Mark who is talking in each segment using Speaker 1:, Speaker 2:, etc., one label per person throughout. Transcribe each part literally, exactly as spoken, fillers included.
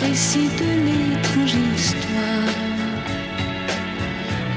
Speaker 1: récit de l'étrange histoire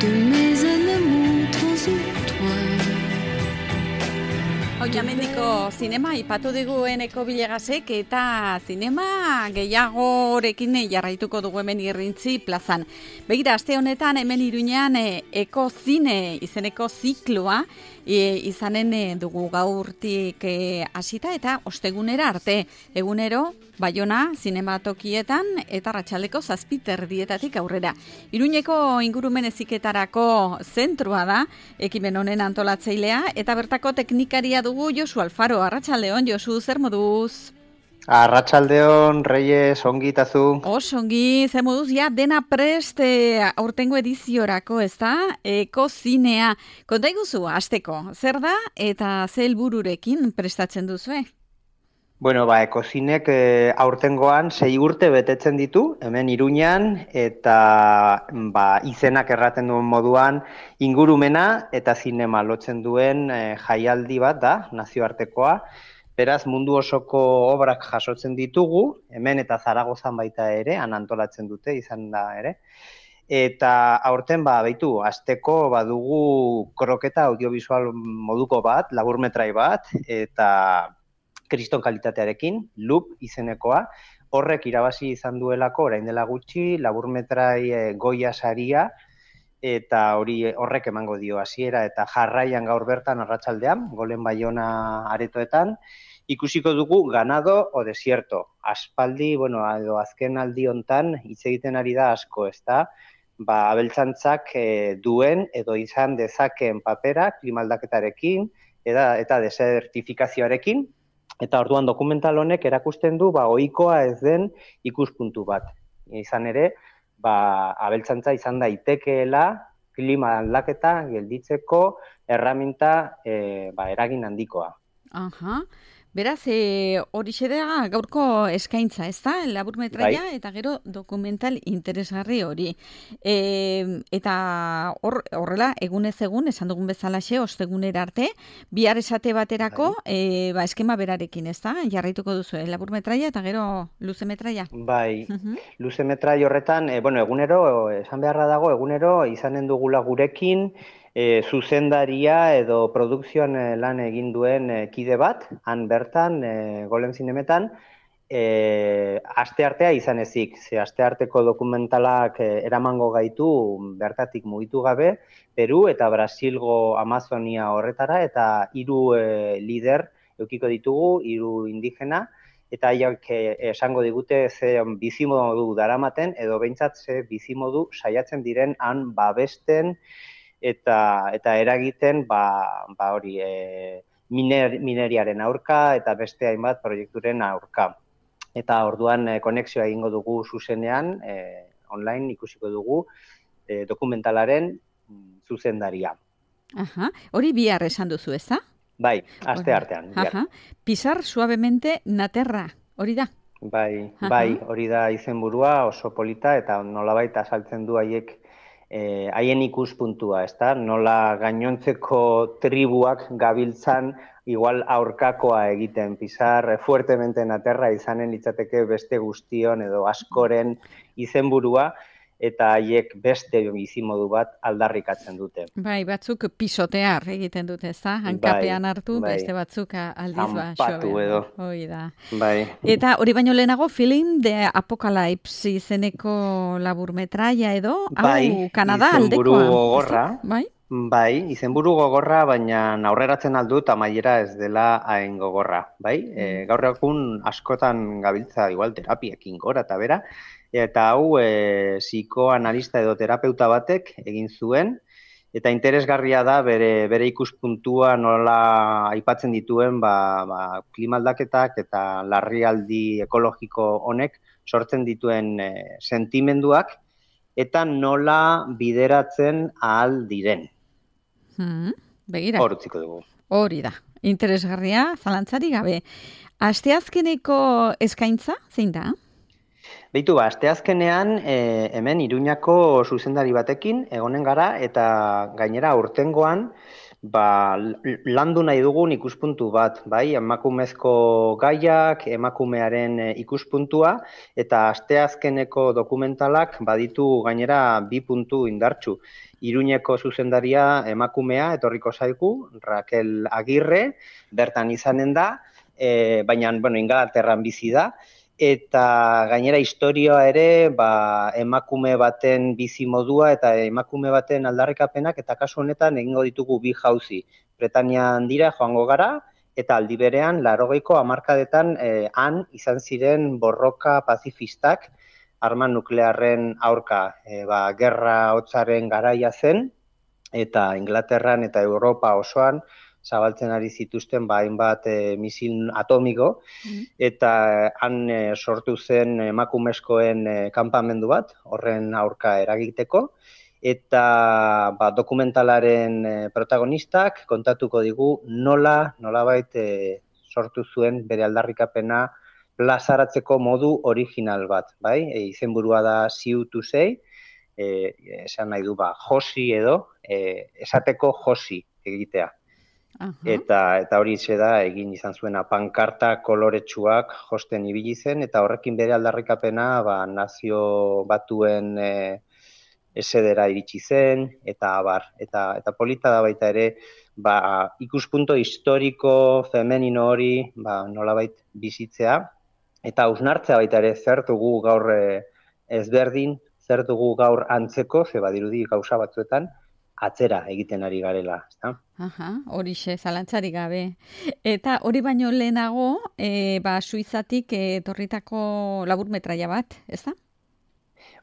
Speaker 1: de mes animaux transitoires.
Speaker 2: Oiamendiko zinema ipatu digueneko bilegasek eta zinema gehiagorekin jarraituko dugu hemen Irrintzi plazan. Begira, aste honetan hemen Iruñean e, ekozine izeneko zikloa e, izanen e, dugu gaurtik e, hasita eta ostegunera arte. Egunero Baiona zinematokietan eta arratsaldeko zazpiterdietatik aurrera. Iruñeko ingurumen heziketarako zentrua da ekimen honen antolatzailea eta bertako teknikaria dugu Josu Alfaro. Arratsaldeon, Josu, zer moduz?
Speaker 3: Arratsaldeon, Reyes, ongi tazu.
Speaker 2: Oso ongi, zer moduz, ja, dena prest e, aurtengo ediziorako, ez da? Ekozinea. Konta iguzu, hasteko, zer da eta ze helbururekin prestatzen duzue?
Speaker 3: Bueno, ba, ekozinek e, aurtengoan sei urte betetzen ditu, hemen Iruñan, eta ba, izenak erraten duen moduan ingurumena eta zinema lotzen duen e, jaialdi bat da, nazioartekoa. Beraz, mundu osoko obrak jasotzen ditugu, hemen eta Zaragozan baita ere, han antolatzen dute, izan da ere. Eta aurten, ba, baitu, asteko badugu kroketa audiovisual moduko bat, laburmetrai bat, eta kriston kalitatearekin, Loop izenekoa, horrek irabazi izan duelako orain dela gutxi, laburmetrai e, Goya saria, eta hori horrek emango dio hasiera eta jarraian gaur bertan arratsaldean, Golen Baiona aretoetan, ikusiko dugu Ganado o Desierto. Aspaldi, bueno, edo azken aldi hontan hitz egiten ari da asko, ezta? Ba, abeltzantzak e, duen edo izan dezakeen papera klimaldaketarekin eta, eta desertifikazioarekin. Eta orduan dokumental honek erakusten du ba ohikoa ez den ikuspuntu bat. Izan ere, ba abeltzantza izan daitekeela klima aldaketa gelditzeko erraminta e, ba, eragin handikoa.
Speaker 2: Aha. Beraz, e, horixe da gaurko eskaintza, ez da? Laburmetraia bai. Eta gero dokumental interesgarri hori. E, eta hor, horrela, egunez egun, esan dugun bezalaxe, ostegunera arte, bihar esate baterako, bai. e, ba, eskema berarekin, ez da? Jarraituko duzu, laburmetraia eta gero luzemetraia.
Speaker 3: Bai, uh-huh. Luzemetrai horretan, e, bueno, egunero, esan beharra dago, egunero izanen dugula gurekin, E, zuzendaria edo produkzioan e, lan egin duen e, kide bat, han bertan, e, Golen zinemetan, e, asteartea izan ezik. Ze astearteko dokumentalak e, eramango gaitu bertatik mugitu gabe, Peru eta Brasilgo Amazonia horretara, eta hiru e, lider eukiko ditugu, hiru indigena, eta haiek e, esango digute ze bizimodu daramaten, edo behintzat ze bizimodu saiatzen diren han babesten, eta eta eragiten ba ba hori e, miner, mineriaren aurka eta beste hainbat proiekturen aurka. Eta orduan e, konexioa egingo dugu zuzenean, e, online ikusiko dugu e, dokumentalaren zuzendaria.
Speaker 2: Aha, hori bihar esan duzu, ezta?
Speaker 3: Bai, aste artean.
Speaker 2: Aha. Pisar suavemente na terra, hori da?
Speaker 3: Bai, aha. Bai, hori da izenburua, oso polita eta nolabait azaltzen du haiek Eh, haien ikuspuntua, ezta? Nola gainontzeko tribuak gabiltzan igual aurkakoa egiten, pisar fuertemente na terra izanen litzateke beste guztion edo askoren izenburua, eta haiek beste bizimodu bat aldarrikatzen dute.
Speaker 2: Bai, batzuk pisotear egiten dute, ezta? Hankapean hartu, bai. Beste batzuk aldiz ba,
Speaker 3: Ampatu edo.
Speaker 2: Hoi da.
Speaker 3: Bai.
Speaker 2: Eta hori baino lehenago, Film de Apocalypse izeneko laburmetraia edo,
Speaker 3: bai,
Speaker 2: hau Kanada aldekoa.
Speaker 3: Izenburu gogorra.
Speaker 2: Bai?
Speaker 3: Bai, izenburu gogorra, baina aurreratzen aldut amaiera ez dela hain gogorra, bai? Mm. E, gaur egun askotan gabiltza igual terapiekin gora eta bera, eta hau e, psikoanalista edo terapeuta batek egin zuen, eta interesgarria da bere, bere ikuspuntua nola aipatzen dituen ba, ba, klimaldaketak eta larrialdi ekologiko honek sortzen dituen e, sentimenduak, eta nola bideratzen ahal diren.
Speaker 2: Hmm, begira.
Speaker 3: Hor utziko dugu.
Speaker 2: Hori da. Interesgarria, zalantzari gabe. Asteazkeneko eskaintza, zein da?
Speaker 3: Beitu ba, asteazkenean e, hemen Iruñako zuzendari batekin egonen gara, eta gainera aurtengoan ba, landu nahi dugun ikuspuntu bat, bai, emakumezko gaiak, emakumearen ikuspuntua, eta asteazkeneko dokumentalak baditu gainera bi puntu indartsu. Iruñeko zuzendaria emakumea etorriko zaigu, Raquel Agirre, bertan izanen da, e, baina, bueno, Ingalaterran bizi da, eta gainera historia ere ba, emakume baten bizi modua eta emakume baten aldarrikapenak eta kasu honetan egingo ditugu bi jauzi. Bretanian dira joango gara eta aldi berean laurogeiko hamarkadetan eh, han izan ziren borroka pazifistak arma nuklearren aurka. E, ba, gerra hotzaren garaia zen eta Inglaterran eta Europa osoan zabaltzen ari zituzten ba, hainbat e, misil atomiko, mm. eta han e, sortu zen emakumezkoen e, kanpamendu bat, horren aurka eragiteko, eta ba, dokumentalaren e, protagonistak kontatuko digu nola, nolabait e, sortu zuen bere aldarrikapena plazaratzeko modu original bat, bai? E, izenburua da See to Say, e, esan nahi du ba, josi edo, e, esateko josi egitea. Uh-huh. Eta eta hori da egin izan zuena pankarta koloretsuak josten ibili zen eta horrekin bere aldarrikapena ba, nazio batuen e, esedera iritsi zen eta abar eta eta polita da baita ere ba, ikuspunto historiko femenino hori ba, nolabait bizitzea eta hausnartzea baita ere zer dugu gaur e, ezberdin, zer dugu gaur antzeko, ze badirudi gauza batzuetan atzera egiten ari garela, ezta?
Speaker 2: Aha, horixe, zalantzarik gabe. Eta hori baino lehenago, e, ba, Suizatik etorritako laburmetraia bat, ezta?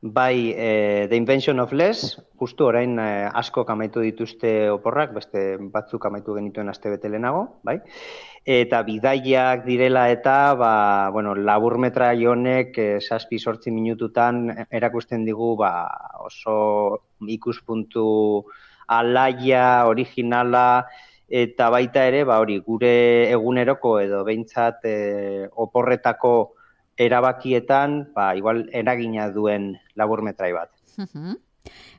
Speaker 3: Bai, e, The Invention of Less, justu orain e, asko amaitu dituzte oporrak, beste batzuk amaitu genituen astebete lehenago, bai? Eta bidaiak direla eta, ba, bueno, laburmetrai honek zazpi sortzi minututan erakusten digu ba, oso ikuspuntu alaia, originala, eta baita ere, ba, hori, gure eguneroko edo behintzat e, oporretako erabakietan, ba, igual eragina duen laburmetrai bat.
Speaker 2: Uh-huh.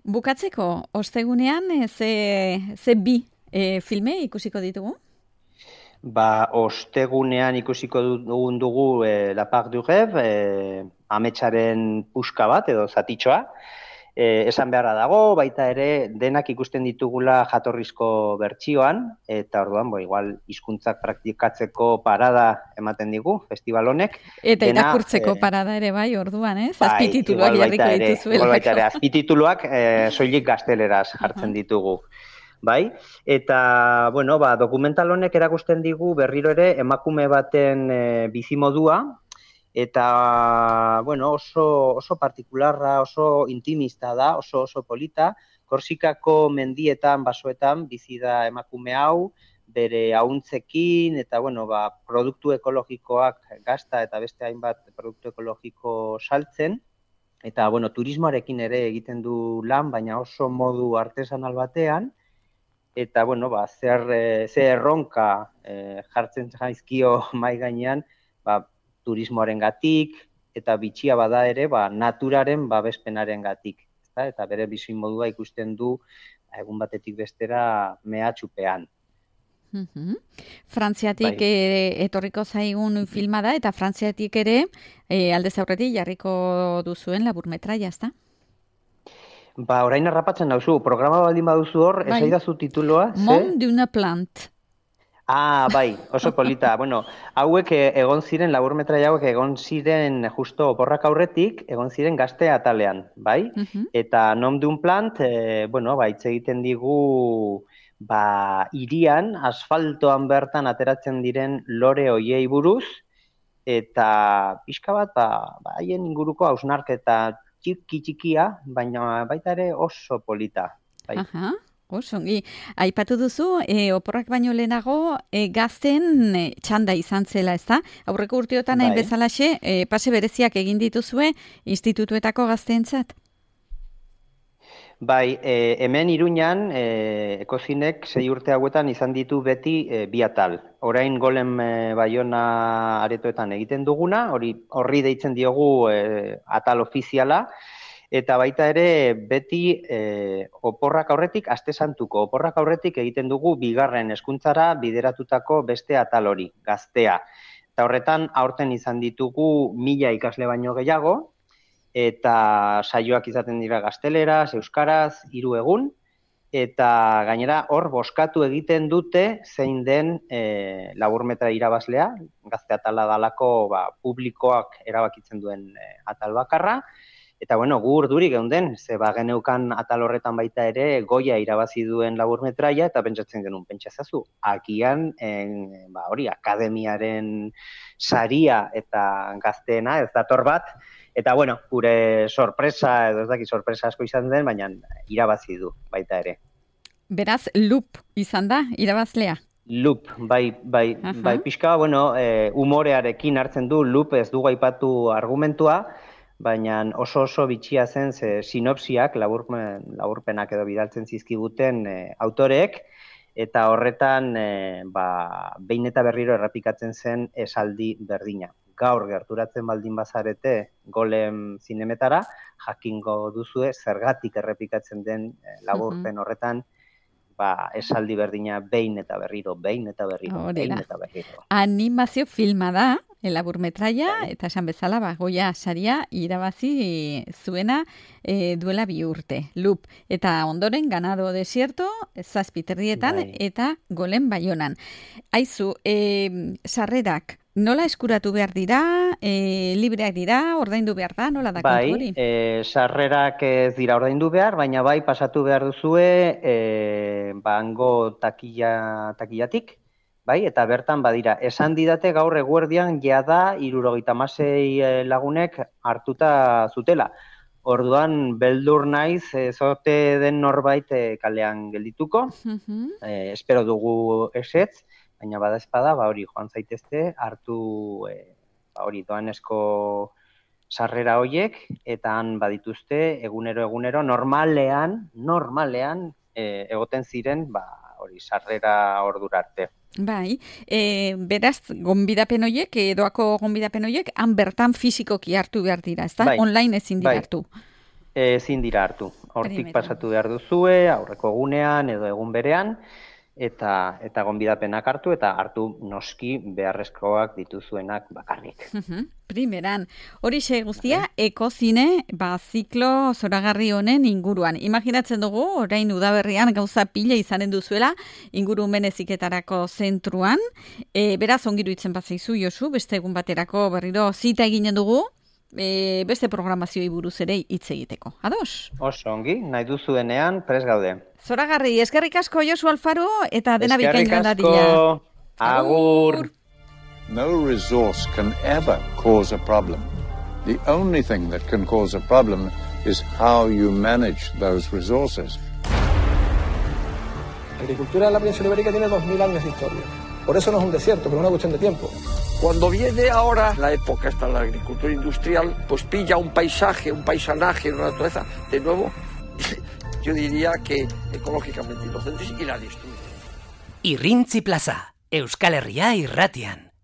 Speaker 2: Bukatzeko, ostegunean, ze, ze bi e, filme ikusiko ditugu?
Speaker 3: Ba, ostegunean ikusiko dugun dugu e, La Part du Rêve, e, ametsaren puska bat edo zatitxoa. E, esan beharra dago, baita ere denak ikusten ditugula jatorrizko bertsioan, eta orduan, bo, igual, hizkuntzak praktikatzeko parada ematen digu, festival honek.
Speaker 2: Eta Dena, irakurtzeko e, parada ere bai, orduan, ez? Bai, azpitituluak jarriko dituzuela.
Speaker 3: Igual baita ere, azpitituluak e, soilik gazteleraz jartzen uh-huh. ditugu. Bai, eta, bueno, ba, dokumental honek erakusten digu berriro ere emakume baten e, bizimodua, eta, bueno, oso, oso partikularra, oso intimista da, oso oso polita, Korsikako mendietan, basoetan, bizi da emakume hau, bere ahuntzekin, eta, bueno, ba, produktu ekologikoak gazta eta beste hainbat produktu ekologiko saltzen, eta, bueno, turismoarekin ere egiten du lan, baina oso modu artesanal batean, eta, bueno, ba, zer, zer erronka eh, jartzen jaizkio mai gainean, ba, turismoaren gatik, eta bitxia bada ere, ba, naturaren babespenaren gatik. Eta, eta bere bizimodua ikusten du egun batetik bestera mehatxupean.
Speaker 2: Uh-huh. Frantziatik bai. e, etorriko zaigun filma da, eta Frantziatik ere e, aldez aurretik jarriko duzuen laburmetraia, ezta?
Speaker 3: Ba, orain harrapatzen dauzu, programa baldin baduzu hor, bai. Esaidazu tituloa?
Speaker 2: Monde d'una plante.
Speaker 3: Ah, bai, oso polita. Bueno, hauek egon ziren, laburmetraia hauek egon ziren justo oporrak aurretik, egon ziren gazte atalean, bai? Uh-huh. Eta nom d'un plant, e, bueno, ba, hitz egiten digu, ba, irian, asfaltoan bertan ateratzen diren lore hoiei buruz, eta pixka bat, ba, ba, haien inguruko hausnarketa txiki-txikia, baina baita ere oso polita. Bai.
Speaker 2: Aha. Osongi, aipatu duzu, e, oporrak baino lehenago e, gazten e, txanda izan zela, ezta? Aurreko urteotan hain bai. Bezalaxe, e, pase bereziak egin dituzue institutuetako gazteentzat?
Speaker 3: Bai, e, hemen Iruñan, e, Ekozinek sei urte hauetan izan ditu beti e, bi atal. Orain Golem e, Baiona aretoetan egiten duguna, hori horri deitzen diogu e, atal ofiziala, eta baita ere beti e, oporrak aurretik, aste santuko oporrak aurretik egiten dugu bigarren hezkuntzara bideratutako beste atal hori, gaztea. Eta horretan, aurten izan ditugu mila ikasle baino gehiago, eta saioak izaten dira gazteleraz, euskaraz, hiru egun, eta gainera hor boskatu egiten dute zein den e, laburmetra irabazlea, gazte atala dalako ba, publikoak erabakitzen duen e, atal bakarra, eta bueno, gu urduri geunden, ze ba geneukan atal horretan baita ere goia irabazi duen laburmetraia, eta pentsatzen genuen, pentsazazu, agian en, ba, hori, akademiaren saria eta gazteena ez dator bat, eta bueno, gure sorpresa, edo ez daki sorpresa asko izan den, baina irabazi du baita ere.
Speaker 2: Beraz, Lup izan da, irabazlea?
Speaker 3: Lup, bai, bai, uh-huh. bai pixka, bueno, e, humorearekin hartzen du, Lup ez dugu aipatu argumentua, baina oso oso bitxia zen ze sinopsiak, laburpen, laburpenak edo bidaltzen zizkiguten e, autoreek, eta horretan e, ba, behin eta berriro errepikatzen zen esaldi berdina. Gaur gerturatzen baldin bazarete Golem zinemetara, jakingo duzue zergatik errepikatzen den e, laburpen horretan, ba, esaldi berdina behin eta berriro, behin eta berriro,
Speaker 2: Orela.
Speaker 3: behin eta berriro.
Speaker 2: Animazio filma da, laburmetraia, eta esan bezala, ba, Goya saria irabazi zuena e, duela bi urte. Lup, eta ondoren Ganado Desierto, zazpiterrietan, bai. Eta Golem Baionan. Aizu, e, sarrerak, nola eskuratu behar dira, e, libreak dira, ordaindu behar da, nola da kontu hori?
Speaker 3: Bai, e, sarrerak ez dira ordaindu behar, baina bai pasatu behar duzue e, bango takilla, takillatik, bai, eta bertan badira. Esan didate gaur eguerdian jada hirurogeita hamasei lagunek hartuta zutela. Orduan beldur naiz, ezote den norbait e, kalean geldituko, uh-huh. e, espero dugu esetz, baina bada espada, ba hori joan zaitezte, hartu e, ba hori doanesko sarrera hoiek, eta han badituzte egunero egunero normalean, normalean e, egoten ziren, ba hori sarrera ordura arte.
Speaker 2: Bai, e, beraz, gonbidapen horiek, edoako gonbidapen horiek, han bertan fisikoki hartu behar dira, ez da? Bai, online ezin dira bai. hartu.
Speaker 3: Ezin dira hartu. Hortik pasatu behar duzue, aurreko egunean edo egun berean, eta eta gonbidapenak hartu, eta hartu noski beharrezkoak dituzuenak bakarrik.
Speaker 2: Uh-huh. Primeran, horixe guztia, ekozine, ba, ziklo zoragarri honen inguruan. Imaginatzen dugu, orain udaberrian gauza pila izanen duzuela, ingurumen heziketarako zentruan. E, beraz, ongiru itzen bat zaizu, Josu, beste egun baterako berriro zita eginen dugu, e, beste programazioi buruz ere hitz egiteko. Ados?
Speaker 3: Oso ongi, nahi duzuenean, prest gaude.
Speaker 2: Zoragarri, eskerrik asko Josu Alfaro, eta dena bikain dadila.
Speaker 3: Eskerrik asko, agur.
Speaker 4: No resource can ever cause a problem. The only thing that can cause a problem is how you manage those resources.
Speaker 5: La agricultura de la península ibérica tiene dos mil años de historia. Por eso no es un desierto, pero es una cuestión de tiempo.
Speaker 6: Cuando viene ahora la época esta de la agricultura industrial, pues pilla un paisaje, un paisanaje, una naturaleza, de nuevo, yo diría que ecológicamente inocentes y la destruye.
Speaker 7: Irrintzi Plaza, Euskal Herria irratian.